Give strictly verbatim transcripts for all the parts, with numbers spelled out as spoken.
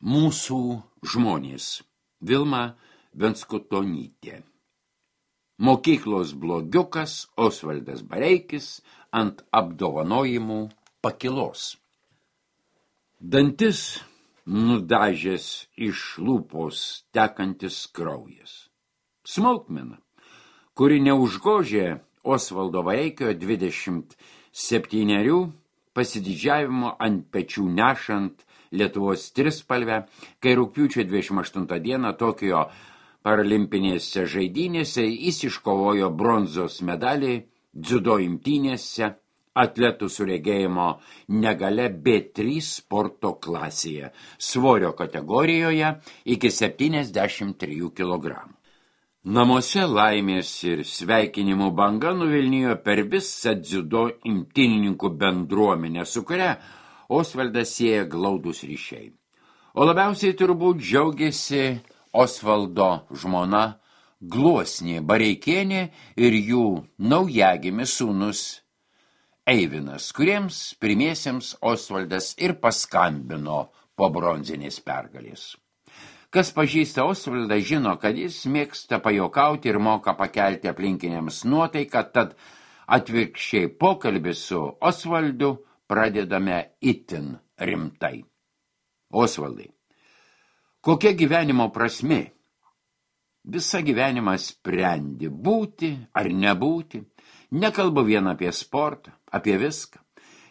Mūsų žmonės. Vilma Venskutonytė. Mokyklos blogiukas Osvaldas Bareikis ant apdovanojimų pakilos. Dantis nudažęs iš lūpos tekantis kraujas. Smulkmena, kuri neužgožė Osvaldo Bareikio dvidešimt septynerių pasididžiavimo ant pečių nešant Lietuvos trispalvę, kai rugpjūčio dvidešimt aštuntą dieną Tokijo paralimpinėse žaidynėse jis iškovojo bronzos medalį dziudo imtynėse atletų su regėjimo negalia B trys sporto klasėje, svorio kategorijoje iki septyniasdešimt trijų kilogramų. Namuose laimės ir sveikinimų banga nuvilnijo per visą dziudo imtynininkų bendruomenę, su kuria Osvaldas sieja glaudus ryšiai. O labiausiai turbūt džiaugiasi Osvaldo žmona Gluosnė Bareikienė ir jų naujagimis sūnus Eivinas, kuriems pirmiesiems Osvaldas ir paskambino po bronzinės pergalės. Kas pažįsta Osvaldą, žino, kad jis mėgsta pajokauti ir moka pakelti aplinkiniams nuotaiką, tad atvirkščiai pokalbį su Osvaldu pradedame itin rimtai. Osvaldai, kokia gyvenimo prasmė? Visą gyvenimą sprendi būti ar nebūti. Nekalbu vien apie sportą, apie viską.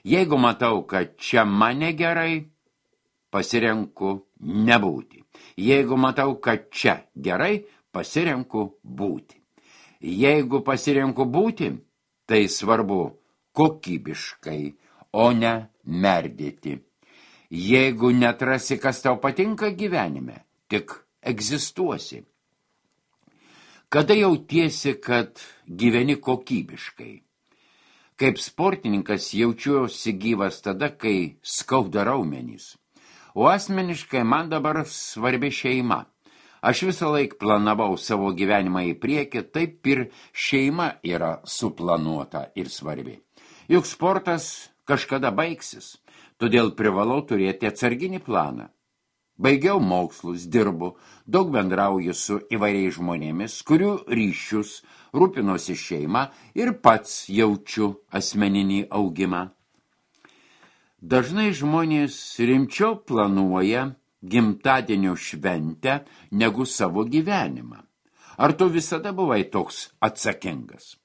Jeigu matau, kad čia mane gerai, pasirenku nebūti. Jeigu matau, kad čia gerai, pasirenku būti. Jeigu pasirenku būti, tai svarbu kokybiškai, o ne merdėti. Jeigu netrasi, kas tau patinka gyvenime, tik egzistuosi. Kada jautiesi, kad gyveni kokybiškai? Kaip sportininkas jaučiuosi gyvas tada, kai skauda raumenys. O asmeniškai man dabar svarbi šeima. Aš visą laik planavau savo gyvenimą į priekį, taip ir šeima yra suplanuota ir svarbi. Juk sportas kažkada baigsis, todėl privalau turėti atsarginį planą. Baigiau mokslus, dirbu, daug bendrauju su įvairiais žmonėmis, kurių ryšius rūpinosi šeima ir pats jaučiu asmeninį augimą. Dažnai žmonės rimčiau planuoja gimtadienio šventę negu savo gyvenimą. Ar tu visada buvai toks atsakingas?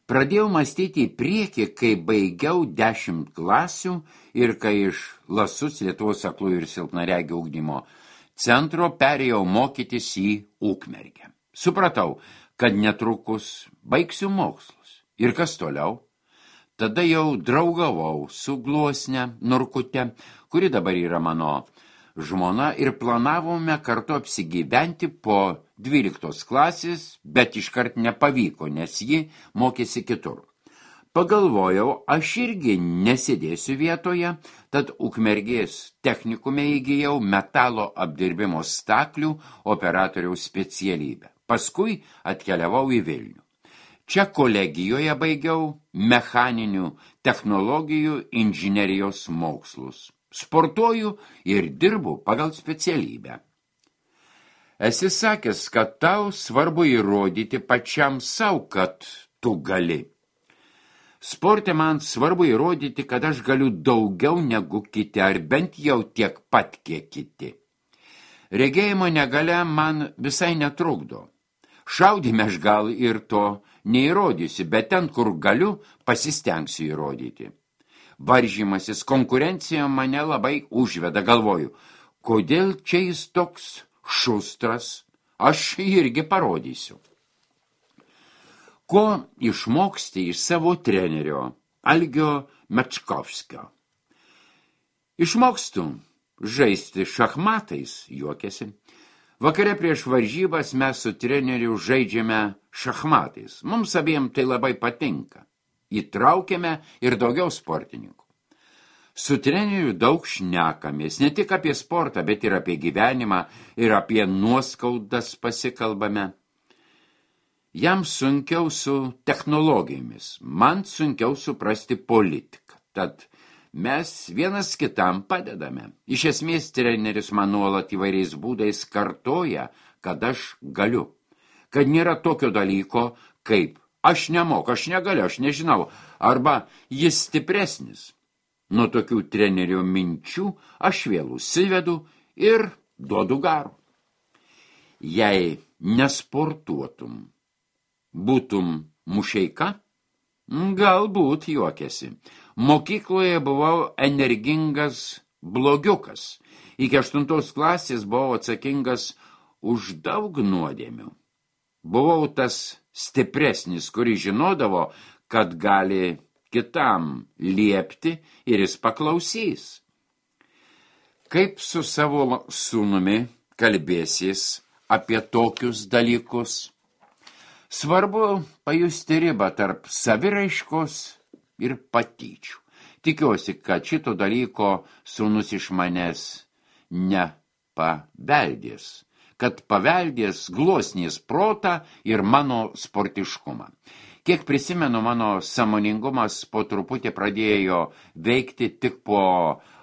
Pradėjau mąstyti į priekį, kai baigiau dešimt klasių ir kai iš Lasus Lietuvos aklųjų ir silpnaregių ugdymo centro perėjau mokytis į Ukmergę. Supratau, kad netrukus baigsiu mokslus. Ir kas toliau? Tada jau draugavau su Gluosne Norkute, kuri dabar yra mano žmona, ir planavome kartu apsigyventi po dvyliktos klasės, bet iškart nepavyko, nes ji mokėsi kitur. Pagalvojau, aš irgi nesėdėsiu vietoje, tad Ukmergės technikume įgijau metalo apdirbimo staklių operatoriaus specialybę. Paskui atkeliavau į Vilnių. Čia kolegijoje baigiau mechaninių technologijų inžinerijos mokslus. Sportuoju ir dirbu pagal specialybę. Esi sakęs, kad tau svarbu įrodyti pačiam savo, kad tu gali. Sporte man svarbu įrodyti, kad aš galiu daugiau negu kiti, ar bent jau tiek pat, kiek kiti. Regėjimo negalia man visai netrukdo. Šaudyme aš gal ir to neįrodysiu, bet ten, kur galiu, pasistengsiu įrodyti. Varžymasis, konkurencija mane labai užveda, galvoju, kodėl čia jis toks šustras, aš irgi parodysiu. Ko išmoksti iš savo trenerio, Algio Mečkovskio? Išmokstu žaisti šachmatais, juokėsi. Vakare prieš varžybas mes su treneriu žaidžiame šachmatais. Mums abiem tai labai patinka. Įtraukiame ir daugiau sportininkų. Su treneriu daug šnekamės, ne tik apie sportą, bet ir apie gyvenimą ir apie nuoskaudas pasikalbame. Jam sunkiau su technologijomis, man sunkiau suprasti politiką. Tad mes vienas kitam padedame. Iš esmės treneris man nuolat įvairiais būdais kartoja, kad aš galiu. Kad nėra tokio dalyko, kaip aš nemoku, aš negaliu, aš nežinau, arba jis stipresnis. Nuo tokių trenerio minčių aš vėl užsivedu ir duodu garo. Jei nesportuotum, būtum mušeika? Galbūt juokėsi. Mokykloje buvau energingas blogiukas. Iki aštuntos klasės buvau atsakingas už daug nuodėmių. Buvau tas stipresnis, kuris žinodavo, kad gali kitam liepti ir jis paklausys. Kaip su savo sūnumi kalbėsis apie tokius dalykus? Svarbu pajusti ribą tarp saviraiškos ir patyčių. Tikiuosi, kad šito dalyko sūnus iš manęs nepaveldės, kad paveldės gluosnės protą ir mano sportiškumą. Kiek prisimenu, mano sąmoningumas po truputį pradėjo veikti tik po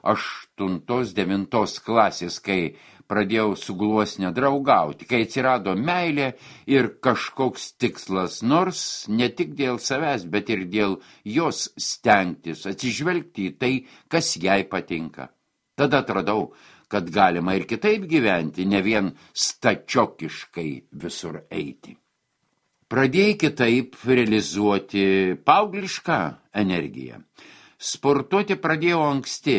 aštuntos, devintos klasės, kai pradėjau su gluosne draugauti, kai atsirado meilė ir kažkoks tikslas, nors ne tik dėl savęs, bet ir dėl jos stengtis, atsižvelgti į tai, kas jai patinka. Tada atradau, kad galima ir kitaip gyventi, ne vien stačiokiškai visur eiti. Pradėjai kitaip realizuoti paauglišką energiją. Sportuoti pradėjau anksti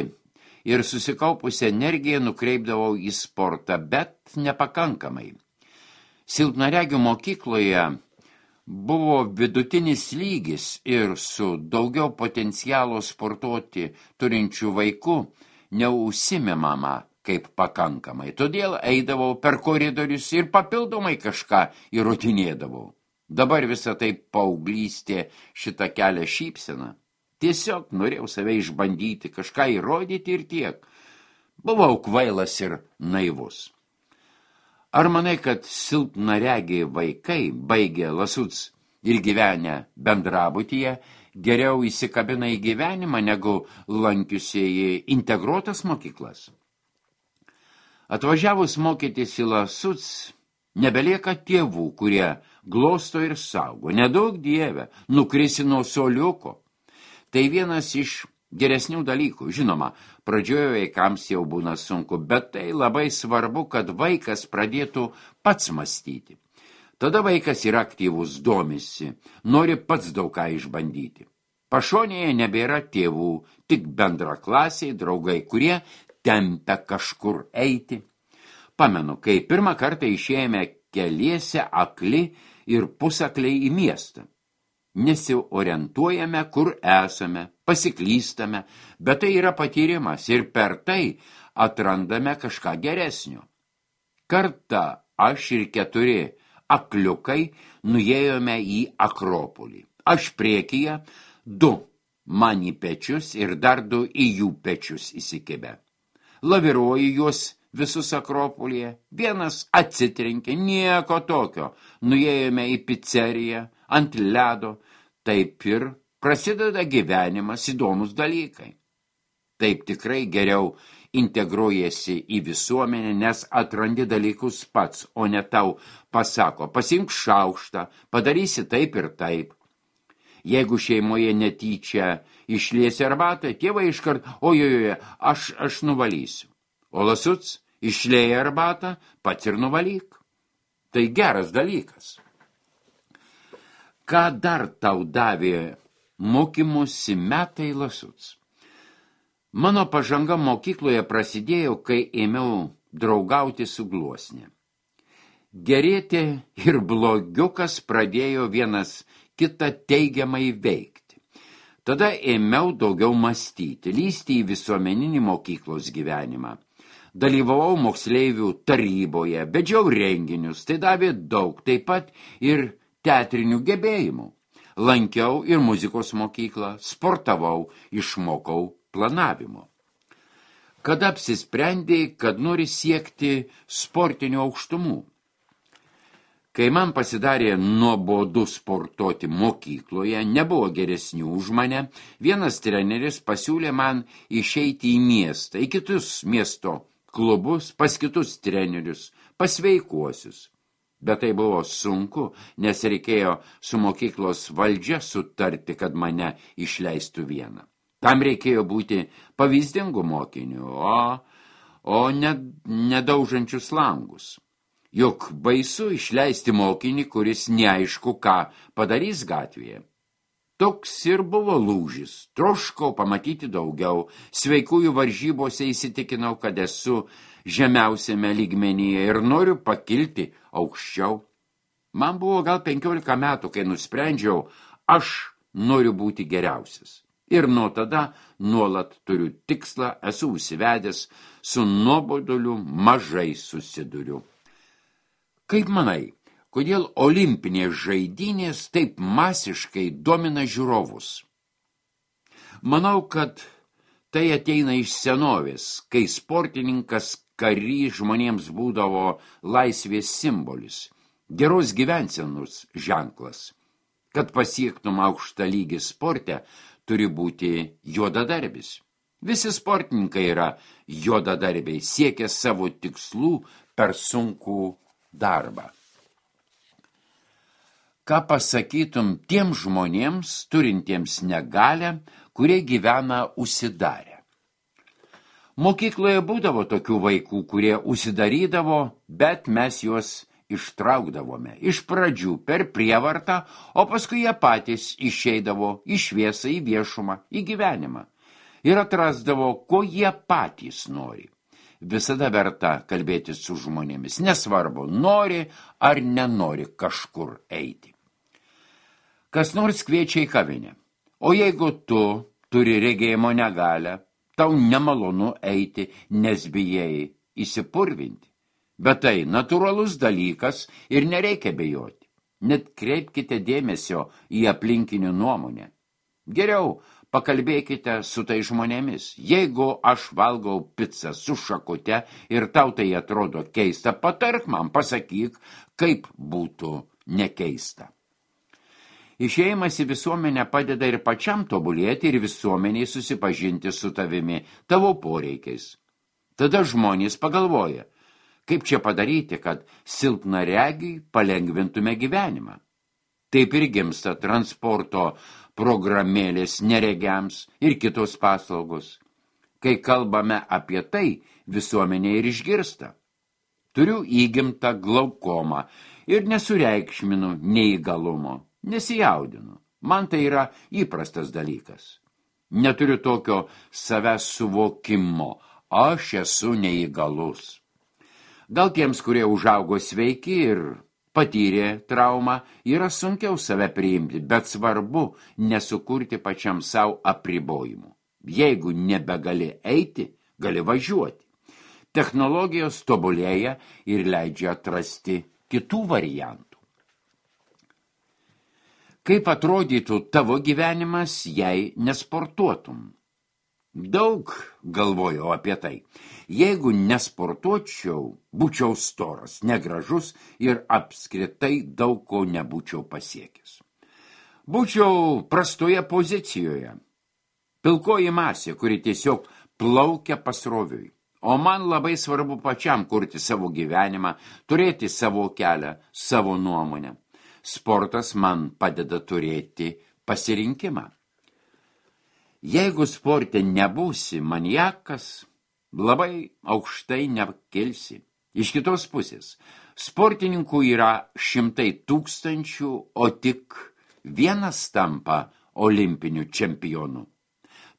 ir susikaupusią energiją nukreipdavau į sportą, bet nepakankamai. Silpnaregių mokykloje buvo vidutinis lygis ir su daugiau potencialo sportuoti turinčių vaikų neužsimimama kaip pakankamai. Todėl eidavau per koridorius ir papildomai kažką įrodinėdavau. Dabar visą tai paauglystė šitą kelią šypseną. Tiesiog norėjau save išbandyti, kažką įrodyti ir tiek. Buvau kvailas ir naivus. Ar manai, kad silpnaregiai vaikai, baigę Lasuc ir gyvenę bendrabutyje, geriau įsikabina į gyvenimą, negu lankiusieji integruotas mokyklas? Atvažiavus mokytis į Lasuc, nebelieka tėvų, kurie glosto ir saugo. Nedaug dieve, nukrisi nuo soliuko. Tai vienas iš geresnių dalykų. Žinoma, pradžioje vaikams jau būna sunku, bet tai labai svarbu, kad vaikas pradėtų pats mąstyti. Tada vaikas yra aktyvus, domisi, nori pats daug ką išbandyti. Pašonėje nebėra tėvų, tik bendraklasiai, draugai, kurie tempia kažkur eiti. Pamenu, kai pirmą kartą išėjome keliese akli ir pusakliai į miestą. Nesiorientuojame, kur esame, pasiklystame, bet tai yra patyrimas ir per tai atrandame kažką geresnio. Kartą aš ir keturi akliukai nuėjome į Akropolį. Aš priekyje, du man į pečius ir dar du į jų pečius įsikibę. Laviruoju juos visus Akropolyje, vienas atsitrenkė, nieko tokio. Nuėjome į pizzeriją, ant ledo, taip ir prasideda gyvenimas, įdomus dalykai. Taip tikrai geriau integruojasi į visuomenę, nes atrandi dalykus pats, o ne tau pasako, pasiimk šaukštą, padarysi taip ir taip. Jeigu šeimoje netyčia išliesi arbatą, tėvai iškart, ojojoje, aš, aš nuvalysiu. O Lasuc išlieja arbatą, pats ir nuvalyk. Tai geras dalykas. Ką dar tau davė mokymosi metai Lasuc? Mano pažanga mokykloje prasidėjo, kai ėmiau draugauti su gluosne. Gerėti ir blogiukas pradėjo vienas kitą teigiamai veikti. Tada ėmiau daugiau mąstyti, lysti į visuomeninį mokyklos gyvenimą. Dalyvavau moksleivių taryboje, vedžiau renginius, tai davė daug, taip pat ir teatrinių gebėjimų. Lankiau ir muzikos mokyklą, sportavau, išmokau planavimo. Kada apsisprendėjai, kad nori siekti sportinių aukštumų? Kai man pasidarė nuobodu sportuoti mokykloje, nebuvo geresnių už mane, vienas treneris pasiūlė man išeiti į miestą, į kitus miesto klubus, pas kitus trenerius, pas sveikuosius. Bet tai buvo sunku, nes reikėjo su mokyklos valdžia sutarti, kad mane išleistų vieną. Tam reikėjo būti pavyzdingu mokiniu, o, o ne, nedaužančius langus. Juk baisu išleisti mokinį, kuris neaišku, ką padarys gatvėje. Toks ir buvo lūžis. Troškau pamatyti daugiau. Sveikųjų varžybose įsitikinau, kad esu žemiausiame lygmenyje ir noriu pakilti aukščiau. Man buvo gal penkiolika metų, kai nusprendžiau, aš noriu būti geriausias. Ir nuo tada nuolat turiu tikslą, esu užsivedęs, su nuoboduliu mažai susiduriu. Kaip manai, kodėl olimpinės žaidynės taip masiškai domina žiūrovus? Manau, kad tai ateina iš senovės, kai sportininkas karys žmonėms būdavo laisvės simbolis, geros gyvensenos ženklas. Kad pasiektum aukštą lygį sporte, turi būti juodadarbis. Visi sportininkai yra juodadarbiai, siekia savo tikslų per sunkų darbą. Ką pasakytum tiem žmonėms, turintiems negalią, kurie gyvena užsidarę? Mokykloje būdavo tokių vaikų, kurie užsidarydavo, bet mes juos ištraukdavome. Iš pradžių per prievartą, o paskui jie patys išeidavo į šviesą, į viešumą, į gyvenimą. Ir atrasdavo, ko jie patys nori. Visada verta kalbėti su žmonėmis, nesvarbu, nori ar nenori kažkur eiti. Kas nors kviečia į kavinę, o jeigu tu turi regėjimo negalią, tau nemalonu eiti, nes bijai įsipurvinti. Bet tai natūralus dalykas ir nereikia bijoti. Net kreipkite dėmesio į aplinkinių nuomonę. Geriau pakalbėkite su tai žmonėmis. Jeigu aš valgau picą su šakute ir tau tai atrodo keista, patark man, pasakyk, kaip būtų nekeista. Išėjimas į visuomenę padeda ir pačiam tobulėti ir visuomeniai susipažinti su tavimi, tavo poreikiais. Tada žmonės pagalvoja, kaip čia padaryti, kad silpnaregiui palengvintume gyvenimą. Taip ir gimsta transporto programėlės neregiams ir kitos paslaugos. Kai kalbame apie tai, visuomenė ir išgirsta. Turiu įgimtą glaukomą ir nesureikšminu neįgalumo, nesijaudinu. Man tai yra įprastas dalykas. Neturiu tokio savęs suvokimo, aš esu neįgalus. Gal tiems, kurie užaugo sveiki ir patyrė traumą, yra sunkiau save priimti, bet svarbu nesukurti pačiam savo apribojimų. Jeigu nebegali eiti, gali važiuoti. Technologijos tobulėja ir leidžia atrasti kitų variantų. Kaip atrodytų tavo gyvenimas, jei nesportuotum? Daug galvojau apie tai. Jeigu nesportuočiau, būčiau storas, negražus ir apskritai daug ko nebūčiau pasiekęs. Būčiau prastoje pozicijoje. Pilkoji masė, kuri tiesiog plaukia pasroviui. O man labai svarbu pačiam kurti savo gyvenimą, turėti savo kelią, savo nuomonę. Sportas man padeda turėti pasirinkimą. Jeigu sporte nebūsi maniakas, labai aukštai nekilsi. Iš kitos pusės, sportininkų yra šimtai tūkstančių, o tik vienas tampa olimpiniu čempionu.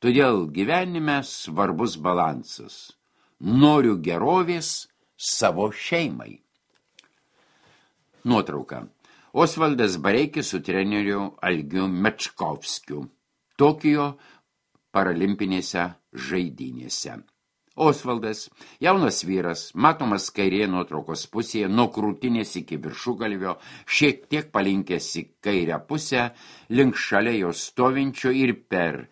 Todėl gyvenime svarbus balansas. Noriu gerovės savo šeimai. Nuotrauka. Osvaldas Bareikis su treneriu Algiu Mečkovskiu. Tokijo paralimpinėse žaidynėse. Osvaldas, jaunas vyras, matomas kairėje nuotraukos pusėje, nuo krūtinės iki viršugalvio, šiek tiek palinkęs į kairę pusę, link šalia jo stovinčio ir per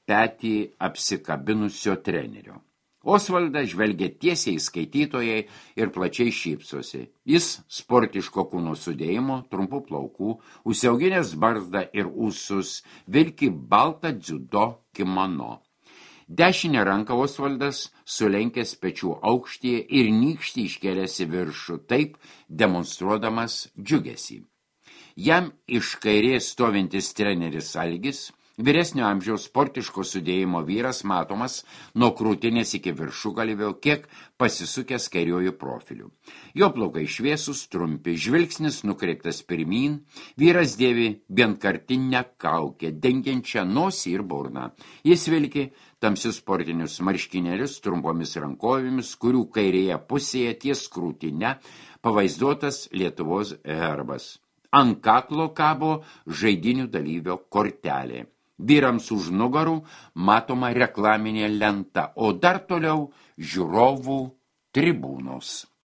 petį apsikabinusio trenerio. Osvaldas žvelgia tiesiai skaitytojai ir plačiai šypsosi. Jis sportiško kūno sudėjimo, trumpų plaukų, užsiauginęs barzdą ir ūsus, vilki baltą dziudo kimono. Dešinę ranką Osvaldas sulenkęs pečių aukštyje ir nykštį iškėlęs į viršų, taip demonstruodamas džiugesį. Jam iš kairės stovintis treneris Algis, vyresnio amžiaus sportiško sudėjimo vyras matomas nuo krūtinės iki viršugalvio, kiek pasisukęs kairiojų profilių. Jo plaukai šviesus, trumpi, žvilgsnis nukreiptas pirmyn, vyras dėvi vienkartinę kaukę, dengiančią nosį ir burną. Jis vilki tamsius sportinius marškinėlius trumpomis rankovėmis, kurių kairėje pusėje ties krūtine pavaizduotas Lietuvos herbas. Ant kaklo kabo žaidinių dalyvio kortelė. Vyrams už nugarų matoma reklaminė lenta, o dar toliau žiūrovų tribūnos.